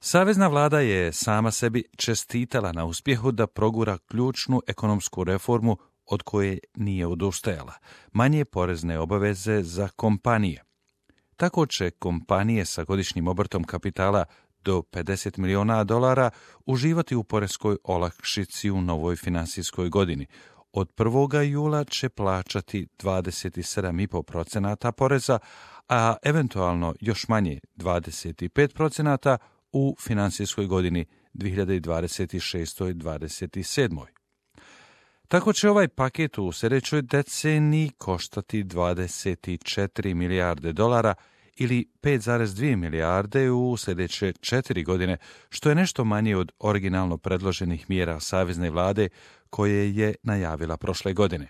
Savezna vlada je sama sebi čestitala na uspjehu da progura ključnu ekonomsku reformu od koje nije odustajala, manje porezne obaveze za kompanije. Tako će kompanije sa godišnjim obrtom kapitala do $50 milijuna uživati u poreskoj olakšici u novoj finansijskoj godini. Od 1. jula će plaćati 27,5% poreza, a eventualno još manje 25% u finansijskoj godini 2026-27. Tako će ovaj paket u sljedećoj deceniji koštati $24 milijarde ili 5,2 milijarde u sljedeće 4 godine, što je nešto manje od originalno predloženih mjera savezne vlade koje je najavila prošle godine.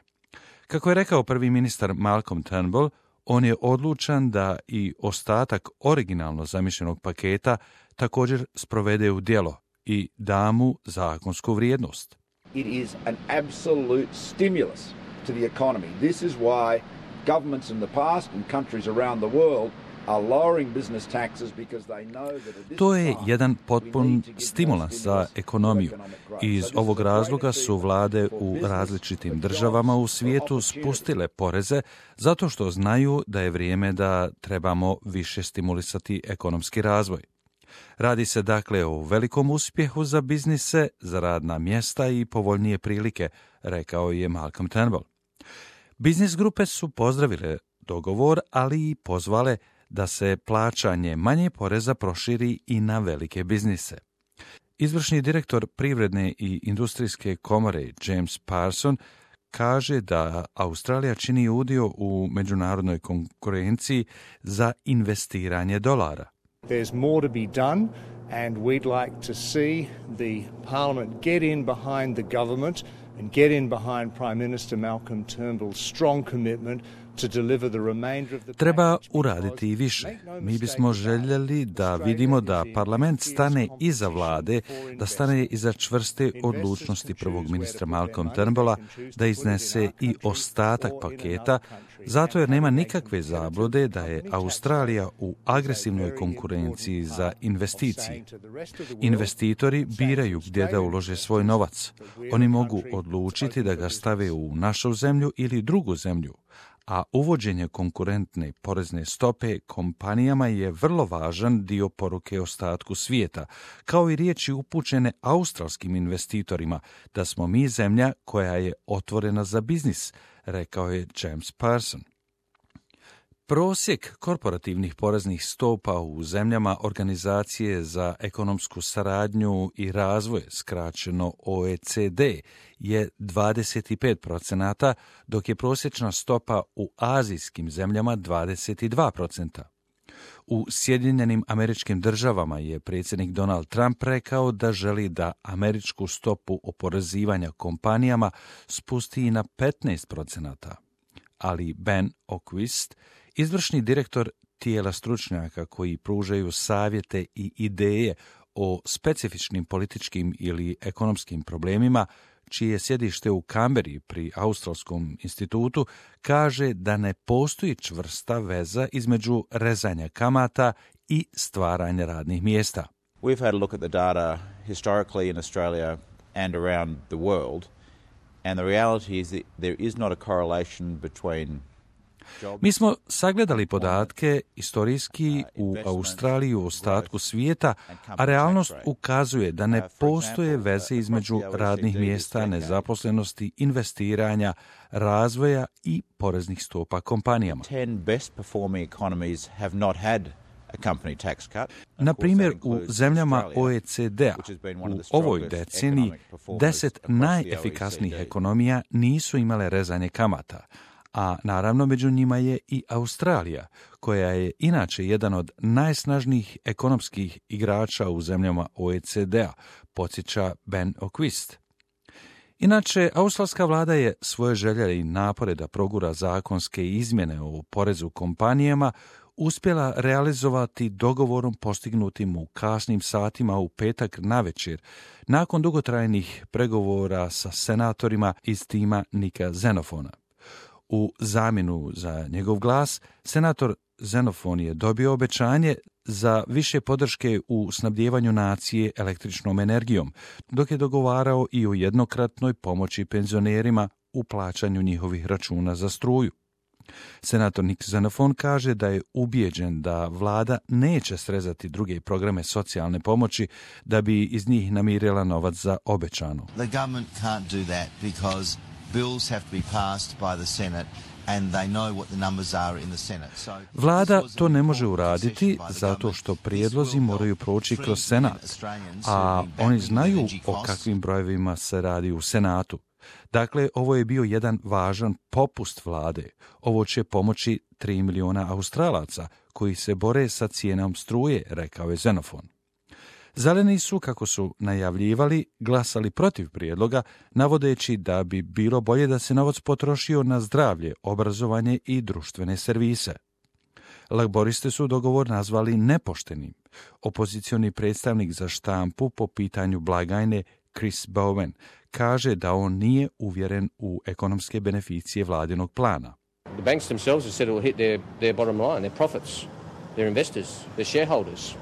Kako je rekao prvi ministar Malcolm Turnbull, on je odlučan da i ostatak originalno zamišljenog paketa također sprovede u djelo i da mu zakonsku vrijednost. It is an absolute stimulus to the economy. This is why governments in the past and countries around the world are lowering business taxes because they know that at this To je jedan potpun stimulans za ekonomiju. Iz ovog razloga su vlade u različitim državama u svijetu spustile poreze zato što znaju da je vrijeme da trebamo više stimulisati ekonomski razvoj. Radi se dakle o velikom uspjehu za biznise, za radna mjesta i povoljnije prilike, rekao je Malcolm Turnbull. Biznis grupe su pozdravile dogovor, ali i pozvale da se plaćanje manje poreza proširi i na velike biznise. Izvršni direktor Privredne i industrijske komore James Parson kaže da Australija čini udio u međunarodnoj konkurenciji za investiranje dolara. There's more to be done, and we'd like to see the Parliament get in behind the government and get in behind Prime Minister Malcolm Turnbull's strong commitment to deliver the remainder of the Treba uraditi i više. Mi bismo željeli da vidimo da parlament stane iza vlade, da stane iza čvrste odlučnosti prvog ministra Malcolm Turnbulla, da iznese i ostatak paketa, zato jer nema nikakve zablude da je Australija u agresivnoj konkurenciji za investicije. Investitori biraju gdje da ulože svoj novac. Oni mogu odlučiti da ga stave u našu zemlju ili drugu zemlju, a uvođenje konkurentne porezne stope kompanijama je vrlo važan dio poruke ostatku svijeta, kao i riječi upućene australskim investitorima da smo mi zemlja koja je otvorena za biznis, rekao je James Parson. Prosjek korporativnih poreznih stopa u zemljama Organizacije za ekonomsku saradnju i razvoj, skraćeno OECD, je 25%, dok je prosječna stopa u azijskim zemljama 22%. U Sjedinjenim Američkim Državama je predsjednik Donald Trump rekao da želi da američku stopu oporezivanja kompanijama spusti na 15%, ali Ben Oquist, izvršni direktor tijela stručnjaka koji pružaju savjete i ideje o specifičnim političkim ili ekonomskim problemima, čije je sjedište u Kamberi pri Australskom institutu, kaže da ne postoji čvrsta veza između rezanja kamata i stvaranja radnih mjesta. We've had a look at the data historically in Australia and around the world, and the reality is that there is not a correlation between Mi smo sagledali podatke istorijski u Australiji u ostatku svijeta, a realnost ukazuje da ne postoje veze između radnih mjesta, nezaposlenosti, investiranja, razvoja i poreznih stopa kompanijama. 10 best performing economies have not had a company tax cut. Na primjer, u zemljama OECD-a u ovoj deceniji 10 najefikasnijih ekonomija nisu imale rezanje kamata, a naravno među njima je i Australija, koja je inače jedan od najsnažnijih ekonomskih igrača u zemljama OECD-a, podsjeća Ben Oquist. Inače, australska vlada je svoje želje i napore da progura zakonske izmjene o porezu kompanijama uspjela realizovati dogovorom postignutim u kasnim satima u petak navečer, nakon dugotrajnih pregovora sa senatorima iz tima Nika Xenofona. U zamjenu za njegov glas, senator Xenophon je dobio obećanje za više podrške u snabdijevanju nacije električnom energijom, dok je dogovarao i o jednokratnoj pomoći penzionerima u plaćanju njihovih računa za struju. Senator Nick Xenophon kaže da je ubijeđen da vlada neće srezati druge programe socijalne pomoći da bi iz njih namirila novac za obećano. The government can't do that because bills have to be passed by the Senate. Vlada to ne može uraditi zato što prijedlozi moraju proći kroz Senat, a oni znaju o kakvim brojevima se radi u Senatu. Dakle, ovo je bio jedan važan popust vlade. Ovo će pomoći 3 miliona Australaca koji se bore sa cijenom struje, rekao je Xenophon. Zeleni su, kako su najavljivali, glasali protiv prijedloga, navodeći da bi bilo bolje da se novac potrošio na zdravlje, obrazovanje i društvene servise. Laboriste su dogovor nazvali nepoštenim. Opozicioni predstavnik za štampu po pitanju blagajne Chris Bowen kaže da on nije uvjeren u ekonomske beneficije vladinog plana. The banks themselves have said it will hit their bottom line, their profits, their investors, their shareholders.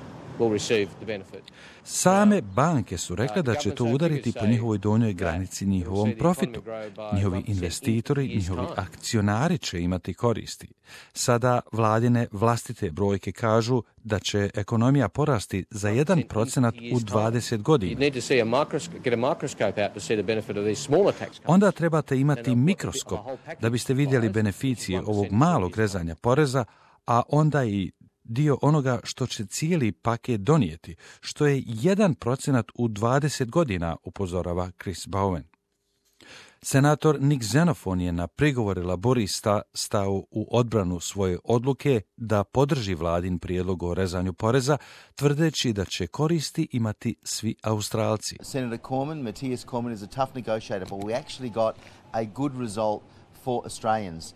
Same banke su rekle da će to udariti po njihovoj donjoj granici, njihovom profitu. Njihovi investitori, njihovi akcionari će imati koristi. Sada vladine vlastite brojke kažu da će ekonomija porasti za 1% u 20 godina. Onda trebate imati mikroskop da biste vidjeli beneficije ovog malog rezanja poreza, a onda i dio onoga što će cijeli paket donijeti, što je 1% u 20 godina, upozorava Chris Bowen. Senator Nick Xenophon je na prigovore laborista stao u odbranu svoje odluke da podrži vladin prijedlog o rezanju poreza, tvrdeći da će koristi imati svi Australci. Senator Matthias Cormann is a tough negotiator, but we actually got a good result for Australians.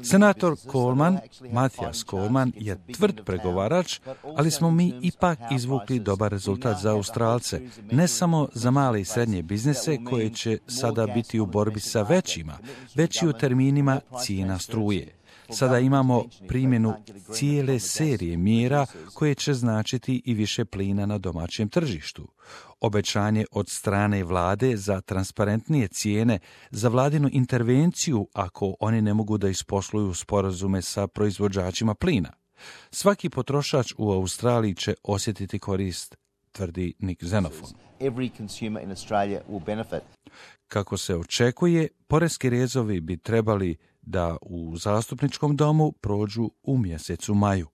Senator Matthias Cormann je tvrd pregovarač, ali smo mi ipak izvukli dobar rezultat za Australce, ne samo za male i srednje biznise koje će sada biti u borbi sa većima, već i u terminima cijena struje. Sada imamo primjenu cijele serije mjera koje će značiti i više plina na domaćem tržištu. Obećanje od strane vlade za transparentnije cijene, za vladinu intervenciju ako oni ne mogu da isposluju sporazume sa proizvođačima plina. Svaki potrošač u Australiji će osjetiti korist, tvrdi Nick Xenophon. Kako se očekuje, poreski rezovi bi trebali da u zastupničkom domu prođu u mjesecu maju.